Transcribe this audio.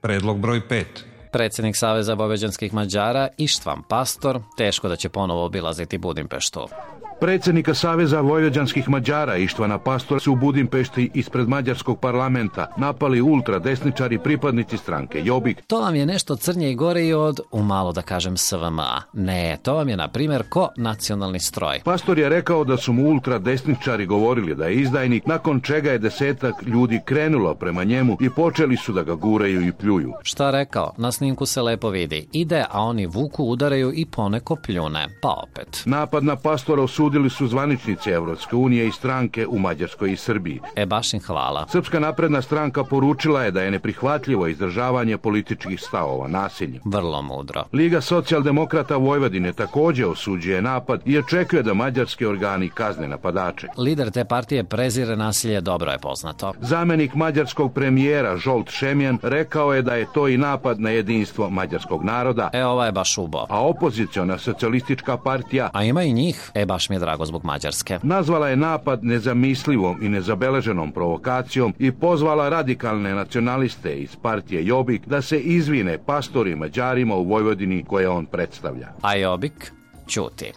Predlog broj 5. Predsjednik Saveza vojvođanskih Mađara Ištvan Pastor teško da će ponovo obilaziti Budimpeštu. Predsjednika Saveza vojvođanskih Mađara Ištvana Pastora su u Budimpešti ispred mađarskog parlamenta napali ultradesničari pripadnici stranke Jobbik. To vam je nešto crnje i gore i od, umalo da kažem, SVM-a. Ne, to vam je, na primjer, ko nacionalni stroj. Pastor je rekao da su mu ultradesničari govorili da je izdajnik, nakon čega je 10 ljudi krenulo prema njemu i počeli su da ga guraju i pljuju. Šta rekao? Na snimku se lepo vidi. Ide, a oni vuku, udaraju i poneko pljune. Pa opet. Napad na Pastora osudili su zvaničnici Evropske unije i stranke u Mađarskoj i Srbiji. Baš im hvala. Srpska napredna stranka poručila je da je neprihvatljivo izdržavanje političkih stavova nasiljem. Vrlo mudro. Liga socijaldemokrata Vojvodine također osuđuje napad i očekuje da mađarski organi kazne napadače. Lider te partije prezire nasilje, dobro je poznato. Zamjenik mađarskog premijera Zsolt Šemjan rekao je da je to i napad na jedinstvo mađarskog naroda. Ovo je baš ubo. A opoziciona socijalistička partija, a ima i njih, baš mi je drago zbog Mađarske, nazvala je napad nezamislivom i nezabeleženom provokacijom i pozvala radikalne nacionaliste iz partije Jobbik da se izvine Pastoru i Mađarima u Vojvodini koje on predstavlja. A Jobbik ćuti.